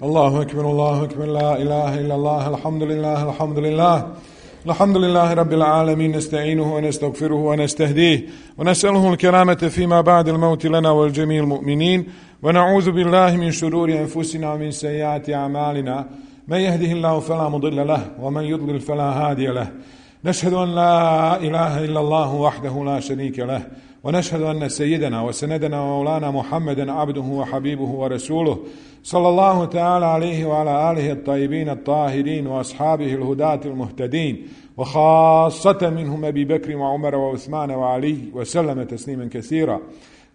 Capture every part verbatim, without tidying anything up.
الله أكبر الله أكبر لا إله إلا الله الحمد لله الحمد لله الحمد لله رب العالمين نستعينه ونستغفره ونستهديه ونسأله الكرامة فيما بعد الموت لنا والجميع المؤمنين ونعوذ بالله من شرور أنفسنا ومن سيئات أعمالنا من يهده الله فلا مضل له ومن يضلل فلا هادي له نشهد أن لا إله إلا الله وحده لا شريك له ونشهد أن سيدنا وسندنا ومولانا محمدا عبده وحبيبه ورسوله صلى الله تعالى عليه وعلى آله الطيبين الطاهرين وأصحابه الهداة المهتدين وخاصة منهم أبي بكر وعمر وعثمان وعلي وسلم تسليما كثيرا.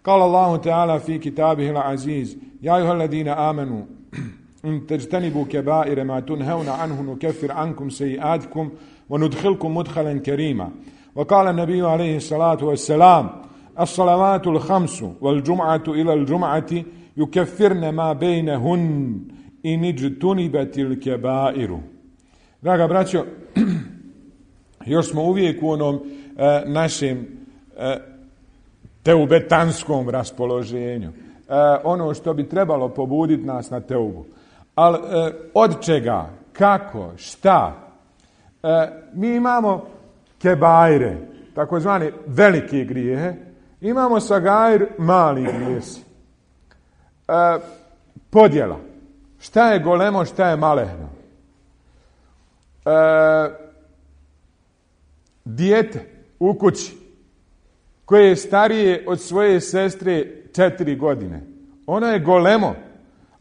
قال الله تعالى في كتابه العزيز: يا أيها الذين آمنوا إن تجتنبوا كبائر ما تنهون عنه نكفر عنكم سيئاتكم وندخلكم مدخلا كريما. وقال النبي عليه الصلاة والسلام: الصلوات الخمس والجمعة إلى الجمعة يكفرن ما بينهن إن اجتنبت الكبائر. Draga braćo, još smo uvijek u onom e, našem e, teubetanskom raspoloženju. E, ono što bi trebalo pobuditi nas na teubu. Ali e, od čega, kako, šta? E, mi imamo kebaire, takozvane velike grijehe, imamo sagair, mali grijesi. E, podjela. Šta je golemo, šta je malehno? E, dijete u kući koje je starije od svoje sestre četiri godine. Ono je golemo,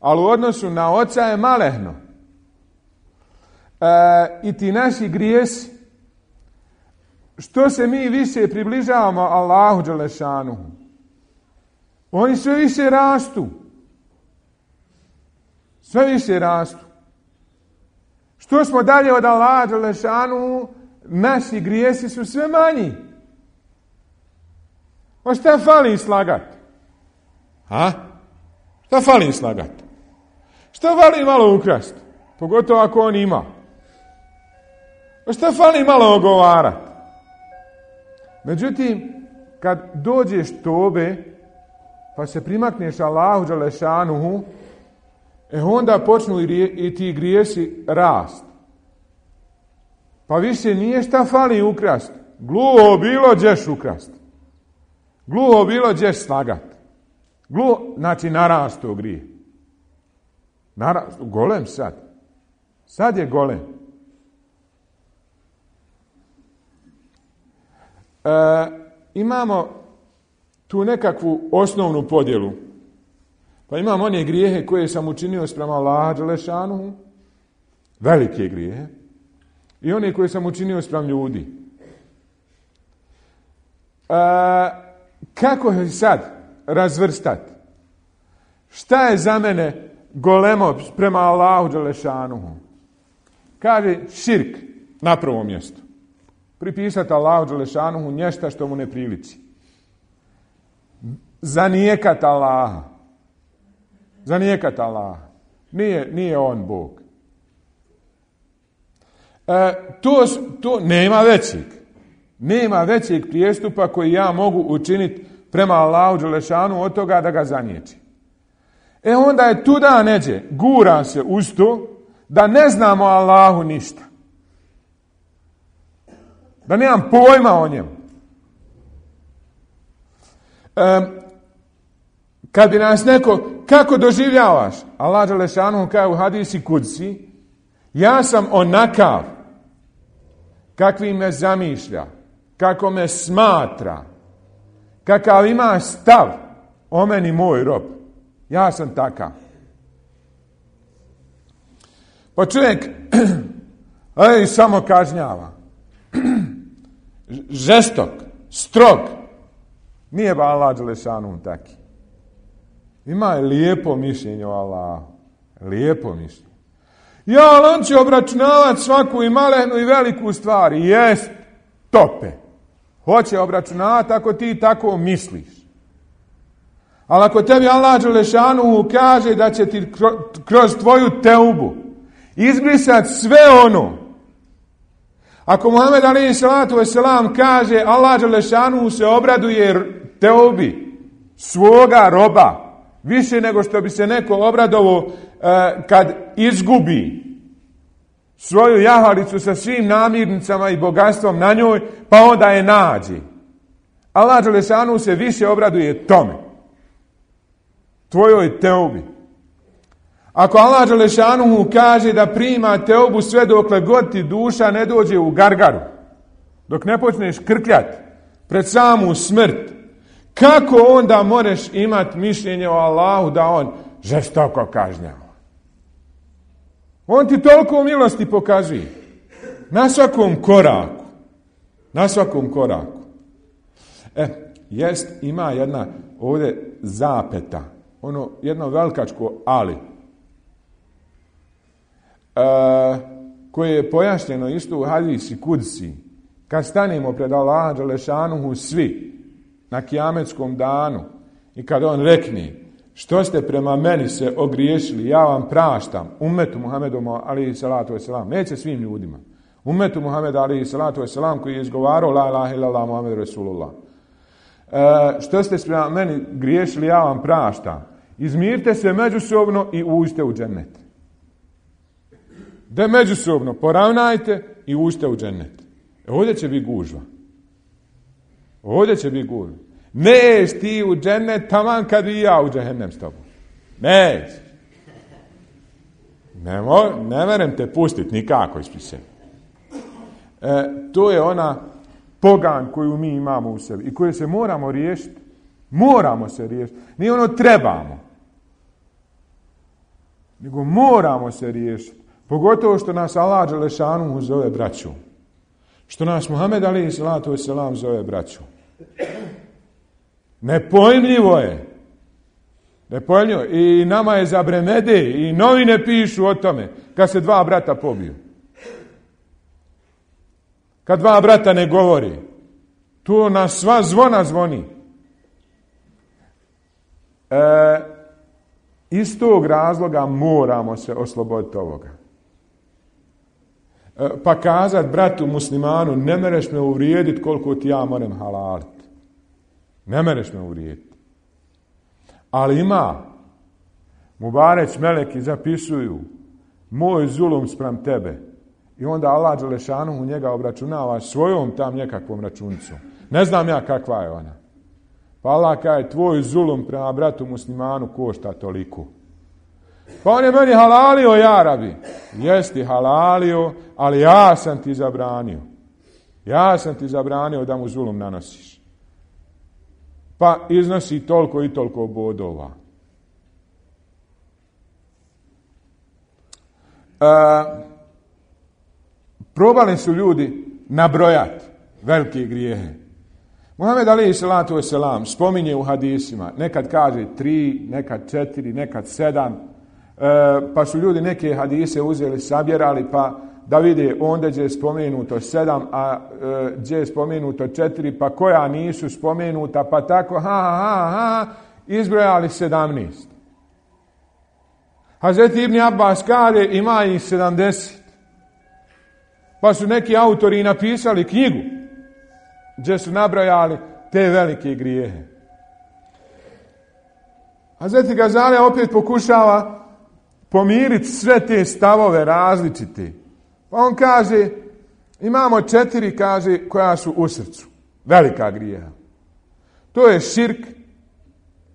ali u odnosu na oca je malehno. E, I ti naši grijesi, što se mi više približavamo Allahu dželešanuhu, oni sve više rastu. Sve više rastu. Što smo dalje od Allaha dželešanuhu, naši grijesi su sve manji. Pa šta fali slagati? Ha? Šta fali slagati? Šta fali malo ukrasti? Pogotovo ako on ima. Pa šta fali malo ogovarati? Međutim, kad dođeš tobe, pa se primakneš Allahu dželešanuhu, e onda počnu i ti grijesi rast. Pa više nije šta fali ukrast. Gluho bilo ćeš ukrast. Gluho bilo ćeš slagat. Gluho, znači narasto grije. Narasto, golem sad. Sad je golem. E, imamo tu nekakvu osnovnu podjelu. Pa imam one grijehe koje sam učinio sprema Allaha dželešanuhu, velike grijehe, i one koje sam učinio sprem ljudi. E, kako je sad razvrstati? Šta je za mene golemo prema Allahu dželešanuhu? Kaže širk na prvom mjestu. Pripisati Allahu dželešanuhu nešto što mu ne priliči. Zanijekat Allaha. Zanijekat Allaha. Nije, nije on Bog. E, to, to nema većeg. Nema većeg prijestupa koji ja mogu učiniti prema Allahu dželešanu od toga da ga zaniječi. E onda je tuda neđe, gura se uz to da ne znamo Allahu ništa. Da nemam pojma o njemu. E, kad bi nas neko, kako doživljavaš? Allah dželešanu kaže u hadisi kudsi: ja sam onakav kakvi me zamišlja, kako me smatra, kakav ima stav o meni moj rob. Ja sam takav. Pa čovjek ej, samo kažnjava. Žestok, strog. Nije ba Allah dželešanu taki. Ima lijepo mišljenje o Allahu. Lijepo mišljenje. Ja, ali on će obračunavati svaku i malenu i veliku stvar. Jest, tope. Hoće obračunavati ako ti tako misliš. Ali ako tebi Allah dželešanu kaže da će ti kroz tvoju teubu izbrisati sve ono. Ako Muhammed alejhi salatu vesselam kaže Allah dželešanu se obraduje teubi svoga roba više nego što bi se neko obradovao kad izgubi svoju jahalicu sa svim namirnicama i bogatstvom na njoj, pa onda je nađe. Allah dželešanu se više obraduje tome. Tvojoj teubi. Ako Allah dželešanu mu kaže da prima teubu sve dokle god ti duša ne dođe u gargaru, dok ne počneš krkljati pred samu smrt, kako onda možeš imati mišljenje o Allahu da on žestoko kažnjava? On ti toliko milosti pokazuje. Na svakom koraku. Na svakom koraku. E, jest, ima jedna ovdje zapeta. Ono, jedno velikačko ali. E, koje je pojašnjeno isto u hadisi kudsi. Kad stanemo pred Allaha dželešanuhu svi na kijametskom danu i kad on rekne što ste prema meni se ogriješili, ja vam praštam, ummetu Muhammedu alejhi salatu vesselam, neće svim ljudima, ummetu Muhammeda alejhi salatu vesselam koji je izgovarao la ilaha illallah Muhammed Rasulullah. E, što ste prema meni griješili, ja vam praštam. Izmirite se međusobno i uđite u džennet. Da međusobno poravnajte i uđite u džennet. E, ovdje će biti gužva. Ovdje će biti gužva. Neš ti u džennet taman kad i ja u džehennem s tobom. Neš. Ne, mo, ne merem te pustiti nikako ispred sebe. E, to je ona pogan koju mi imamo u sebi i koju se moramo riješiti. Moramo se riješiti. Nije ono trebamo. Nego moramo se riješiti. Pogotovo što nas Allah dželešanu zove braću. Što nas Muhammed alejhi salatu vesselam zove braću. Nepojmljivo je. Nepojmljivo. I nama je zabremede i novine pišu o tome kad se dva brata pobiju. Kad dva brata ne govori. Tu nas sva zvona zvoni. E, iz tog razloga moramo se osloboditi ovoga. E, pa kazat bratu muslimanu, ne mereš me uvrijediti koliko ti ja moram halaliti. Ne mereš me uvrijediti. Ali ima, Mubareć meleki zapisuju, moj zulum spram tebe. I onda Allah dželešanuhu njega obračunava svojom tam nekakvom računicom. Ne znam ja kakva je ona. Pa Allah kaže, tvoj zulum prema bratu muslimanu košta toliko. Pa on je meni halalio, ja rabi. Jesti halalio, ali ja sam ti zabranio. Ja sam ti zabranio da mu zulum nanosiš. Pa iznosi toliko i toliko bodova. E, probali su ljudi nabrojati velike grijehe. Muhammed alejhi salatu vesselam spominje u hadisima, nekad kaže tri, nekad četiri, nekad sedam, e, pa su ljudi neke hadise uzeli, sabjerali, pa da vide onda gdje je spomenuto sedam, a e, gdje je spomenuto četiri, pa koja nisu spomenuta, pa tako, ha, ha, ha, izbrojali sedamnaest. Hazreti Ibn Abbas kaže, ima ih sedamdeset. Pa su neki autori napisali knjigu gdje su nabrojali te velike grijehe. Hazreti Gazali opet pokušava pomiriti sve te stavove različite. Pa on kaže, imamo četiri, kaže, koja su u srcu. Velika grijeha. To je širk,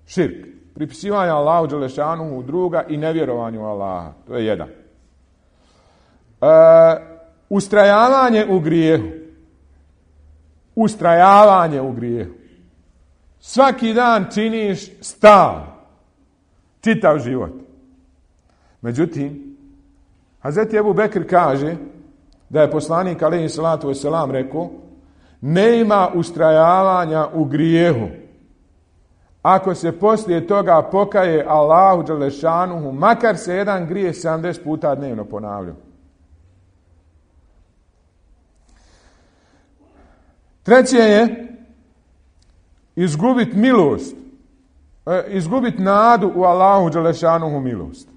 širk. Pripisivanje Allahu dželešanuhu druga i nevjerovanju Allaha. To je jedan. E, ustrajavanje u grijehu. Ustrajavanje u grijehu. Svaki dan činiš stal. Čitav život. Međutim, Hazreti Ebu Bekr kaže da je poslanik alejhi salatu vesselam rekao, nema ustrajavanja u grijehu. Ako se poslije toga pokaje Allahu dželešanuhu, makar se jedan grijeh sedamdeset puta dnevno ponavlja. Treće je izgubiti milost, izgubiti nadu u Allahu dželešanuhu milost.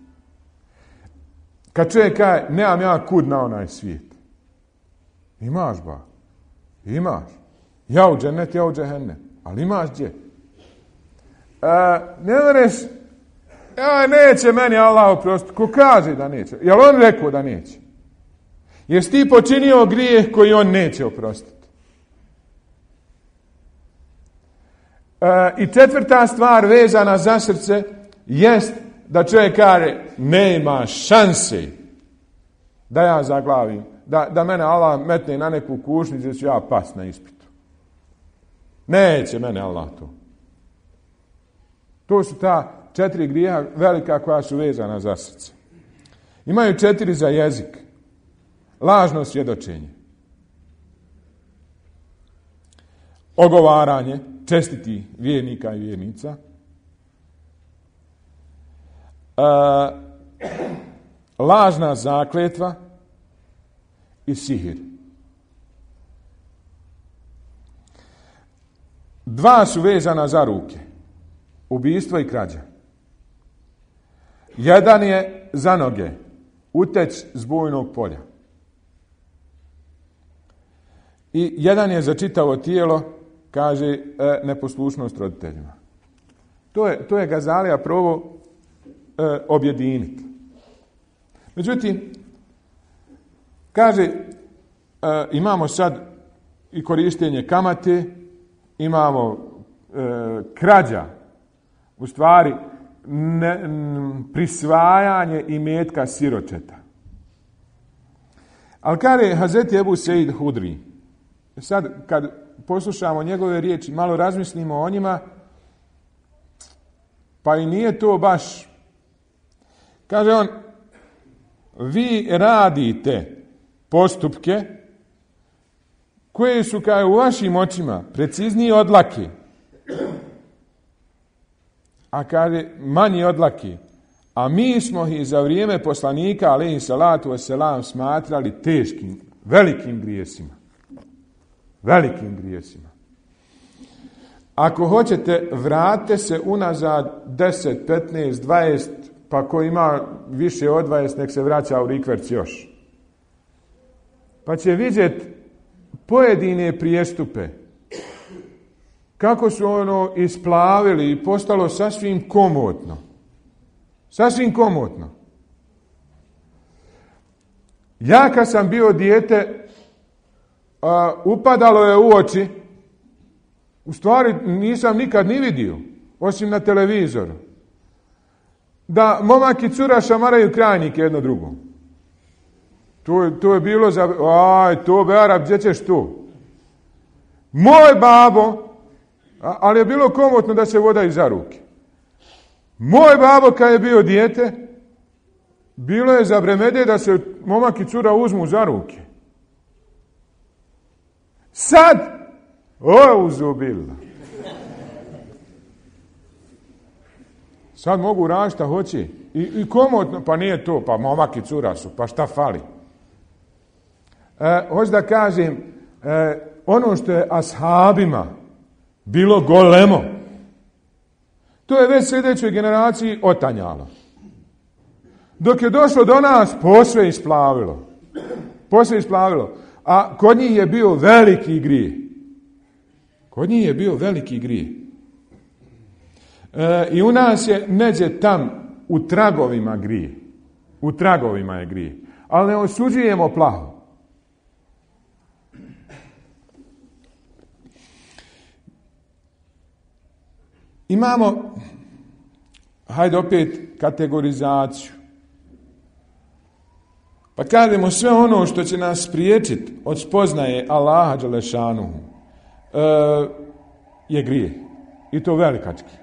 Kad čovjek kaže, nemam ja kud na onaj svijet. Imaš ba, imaš. Ja u džennet, ja u džehennem, ali imaš gdje. E, ne mereš Ja, neće meni Allah oprostiti. Ko kaže da neće? Jel on rekao da neće? Jesi ti počinio grijeh koji on neće oprostiti? E, I četvrta stvar vezana za srce jest da čovjek kaže nema šanse da ja zaglavim, da, da mene Allah metne na neku kušnicu da ću ja past na ispitu. Neće mene Allah to. To su ta četiri grijeha velika koja su vezana za srce. Imaju četiri za jezik. Lažno svjedočenje. Ogovaranje čestiti vjernika i vjernica. E, lažna zakletva i sihir. Dva su vezana za ruke. Ubijstvo i krađa. Jedan je za noge. Uteć s bojnog polja. I jedan je za čitavo tijelo, kaže, e, neposlušnost roditeljima. To je, to je Gazalija probao e, objediniti. Međutim, kaže, e, imamo sad i korištenje kamate, imamo e, krađa, u stvari ne, n, prisvajanje imetka siročeta. Ali kaže Hazreti Ebu Seid Hudri, sad kad poslušamo njegove riječi, malo razmislimo o njima, pa i nije to baš. Kaže on, vi radite postupke koje su kao u vašim očima precizniji od dlake, a kaže manji od dlake, a mi smo ih za vrijeme poslanika alejhi salatu vesselam smatrali teškim, velikim grijesima. Velikim grijesima. Ako hoćete, vratite se unazad deset, petnaest, dvadeset, pa ko ima više od dvadeset, nek se vraća u rikverc još. Pa će vidjeti pojedine prijestupe. Kako su ono isplavili i postalo sasvim komotno. Sasvim komotno. Ja kad sam bio dijete, Uh, upadalo je u oči, u stvari nisam nikad ni vidio, osim na televizoru, da momak i cura šamaraju krajnike jedno drugom. To, to je bilo za... Aj, to be Arab, gdje ćeš tu? Moj babo, a, ali je bilo komotno da se vodaju za ruke. Moj babo kad je bio dijete, bilo je za bremede da se momak i cura uzmu za ruke. Sad, o uzubila. Sad mogu raditi šta hoće. I, i komotno, pa nije to, pa momak i cura su, pa šta fali? E, hoću da kažem, e, ono što je ashabima bilo golemo, to je već sljedećoj generaciji otanjalo. Dok je došlo do nas, posve isplavilo. Posve isplavilo. A kod njih je bio veliki grijeh. Kod njih je bio veliki grijeh. E, I u nas je neđe tam u tragovima grijeh. U tragovima je grijeh. Ali ne osuđujemo plaho. Imamo, hajde opet, kategorizaciju. Pa kažemo sve ono što će nas spriječiti od spoznaje Allaha dželešanuhu e, je grijeh. I to velikački.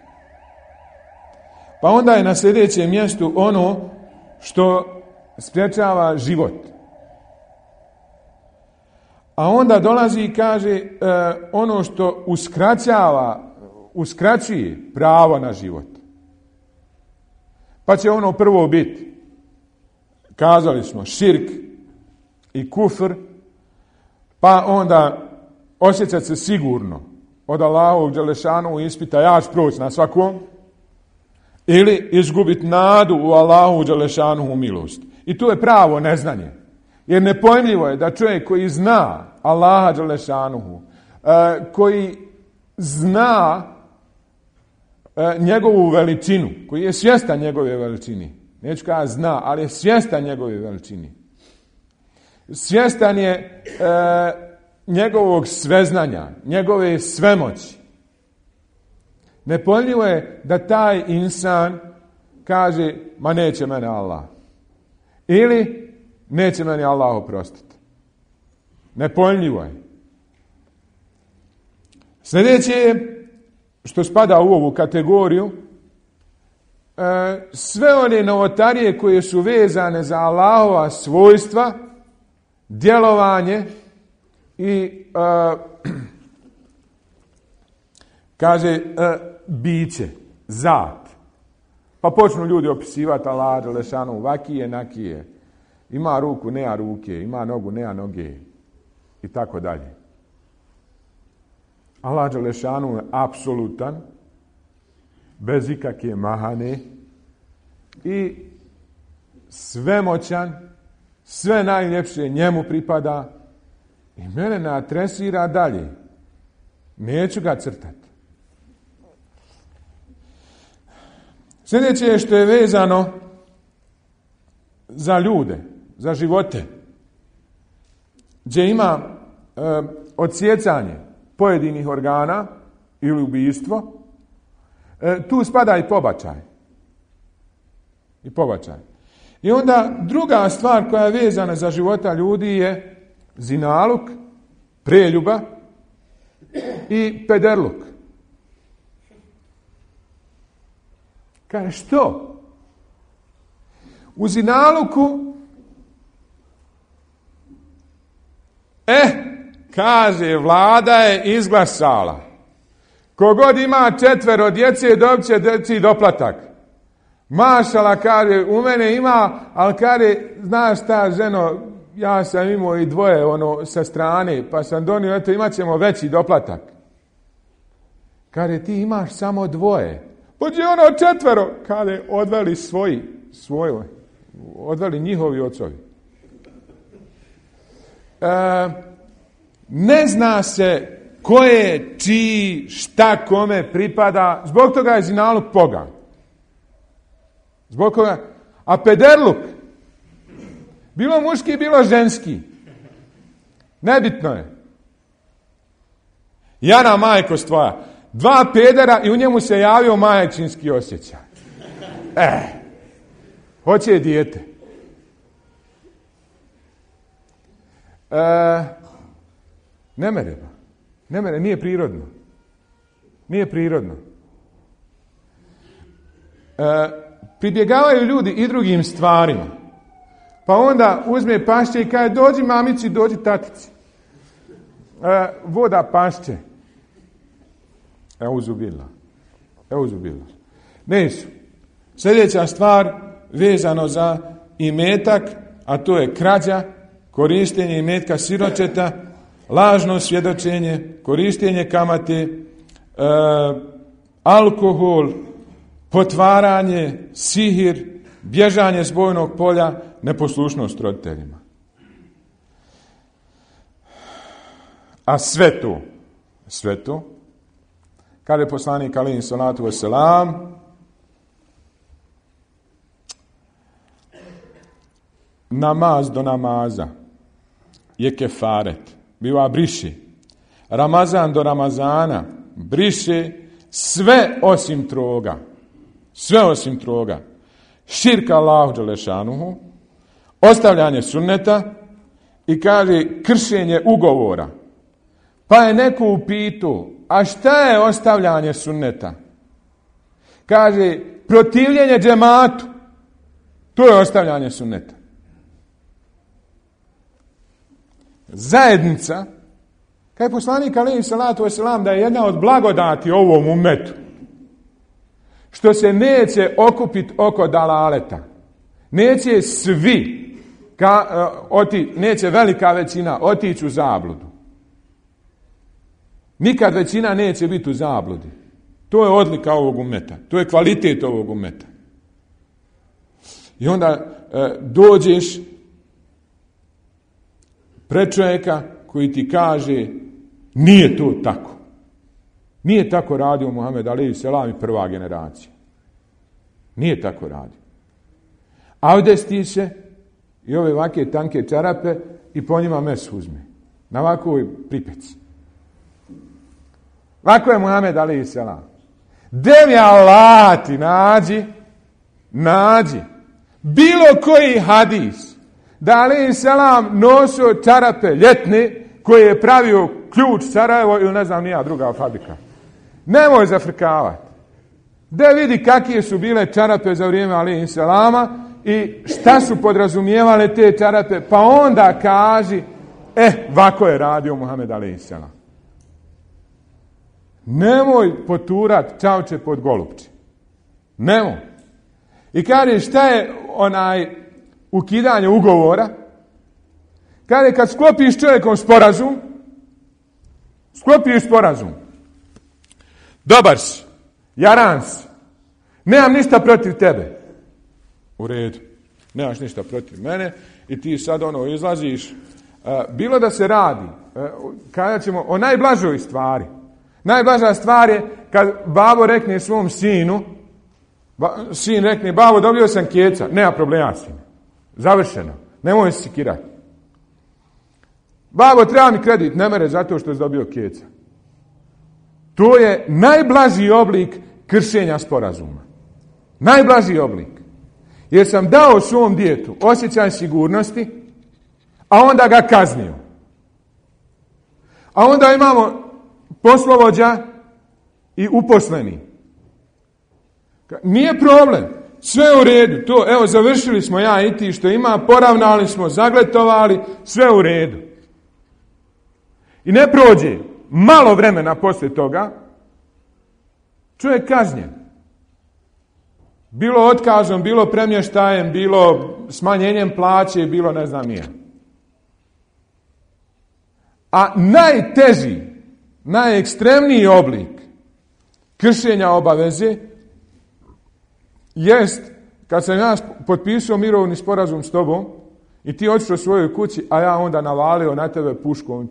Pa onda je na sljedećem mjestu ono što spriječava život. A onda dolazi i kaže e, ono što uskraćava, uskraćuje pravo na život. Pa će ono prvo biti, kazali smo, širk i kufr, pa onda osjećati se sigurno od Allahovog dželešanu ispita, ja ću proći na svakom, ili izgubiti nadu u Allahovu dželešanu milost. I tu je pravo neznanje. Jer nepojmljivo je da čovjek koji zna Allaha dželešanuhu, koji zna e, njegovu veličinu, koji je svjestan njegove veličini. Neću kada zna, ali je svjestan njegove veličini. Svjestan je e, njegovog sveznanja, njegove svemoći. Nepojmljivo je da taj insan kaže, ma neće mene Allah. Ili neće meni Allah oprostiti. Nepojmljivo je. Sljedeće što spada u ovu kategoriju, sve one novotarije koje su vezane za Allahova svojstva, djelovanje i uh, kaže uh, biće, zat. Pa počnu ljudi opisivati Allah dželešanu, vakije, nakije, ima ruku, nema ruke, ima nogu, nema noge i tako dalje. Allah dželešanu je apsolutan, bez ikakve mahane i svemoćan, sve najljepše njemu pripada i mene ne atresira dalje. Neću ga crtati. Sljedeće što je vezano za ljude, za živote, gdje ima e, odsjecanje pojedinih organa ili ubijstvo, e, tu spada i pobačaj. I pobačaj. I onda druga stvar koja je vezana za života ljudi je zinaluk, preljuba i pederluk. Kaže, što? U zinaluku, eh, kaže, vlada je izglasala. Kogod ima četvero djece, dobit će dječji doplatak. Mašala, kaže, u mene ima, ali kaže, znaš šta, ženo, ja sam imao i dvoje ono sa strane, pa sam donio, eto, imat ćemo veći doplatak. Kaže, ti imaš samo dvoje. Pođe ono četvero, kaže, odveli svoji, svoje, odveli njihovi ocovi. E, ne zna se ko je, čiji, šta kome pripada, zbog toga je zinaluk pogan. Zbog toga, a pederluk, bilo muški, bilo ženski, nebitno je. Jana majkost tvoja, dva pedera i u njemu se javio majčinski osjećaj. E, hoće dijete. E, ne mere, ne mere, nije prirodno. Nije prirodno. E, pribjegavaju ljudi i drugim stvarima. Pa onda uzme pašće i kaže, dođi mamici, dođi tatici. E, voda pašće. Euzubila. Euzubila. Nisu. Sljedeća stvar vezano za imetak, a to je krađa, korištenje imetka siročeta, lažno svjedočenje, korištenje kamate, e, alkohol, potvaranje, sihir, bježanje s bojnog polja, neposlušnost roditeljima. A sve to, sve to, kada je poslanik alejhi salatu vesselam namaz do namaza je kefaret, biva briše. Ramazan do Ramazana briše sve osim troga. Sve osim troga. Širka Allahu dželešanuhu, ostavljanje sunneta i kaže kršenje ugovora. Pa je neko upitao, a šta je ostavljanje sunneta? Kaže, protivljenje džematu. To je ostavljanje sunneta. Zajednica, kaj je poslanik alejhi salatu vesselam da je jedna od blagodati ovom ummetu, što se neće okupiti oko dalaleta. Neće svi, ka, oti, neće velika većina otići u zabludu. Nikad većina neće biti u zabludi. To je odlika ovog ummeta. To je kvalitet ovog ummeta. I onda e, dođeš pred čovjeka koji ti kaže nije to tako. Nije tako radio Muhammed alejhi selam i prva generacija. Nije tako radio. Avdesti se i ove ovake tanke čarape i po njima mes uzme. Na ovakvoj pripeci. Ovako je Muhammed alejhi selam. Devi Allah ti nađi, nađi bilo koji hadis da alejhi selam nosio čarape ljetne koje je pravio Ključ Sarajevo ili ne znam nija druga fabrika. Nemoj zafrkavati. Da vidi kakve su bile čarape za vrijeme alejhi selama i šta su podrazumijevale te čarape, pa onda kaži, eh, ovako je radio Muhammed alejhi selam. Nemoj poturat čavče pod golupče. Nemoj. I kaže, šta je onaj ukidanje ugovora? Kaže, kad sklopiš čovjekom sporazum, sklopiš sporazum. Dobar si, jaran si, nemam ništa protiv tebe. U redu, nemaš ništa protiv mene i ti sad ono izlaziš. Bilo da se radi, kada ćemo o najblažoj stvari. Najblaža stvar je kad babo rekne svom sinu, ba, sin rekne, babo, dobio sam keca, nema problema s tim. Završeno, nemoj se sikirati. Babo, treba mi kredit, ne mere zato što je dobio keca. To je najblaži oblik kršenja sporazuma. Najblaži oblik. Jer sam dao svom djetu osjećaj sigurnosti, a onda ga kaznio. A onda imamo poslovođa i uposleni. Nije problem. Sve u redu. To, evo, završili smo ja i ti što ima, poravnali smo, zagletovali, sve u redu. I ne prođe malo vremena poslije toga, čovjek kažnjen. Bilo otkazom, bilo premještajem, bilo smanjenjem plaće, bilo ne znam nije. A najteži, najekstremniji oblik kršenja obaveze jest kad sam ja potpisao mirovni sporazum s tobom i ti otišao svojoj kući, a ja onda navalio na tebe puškom.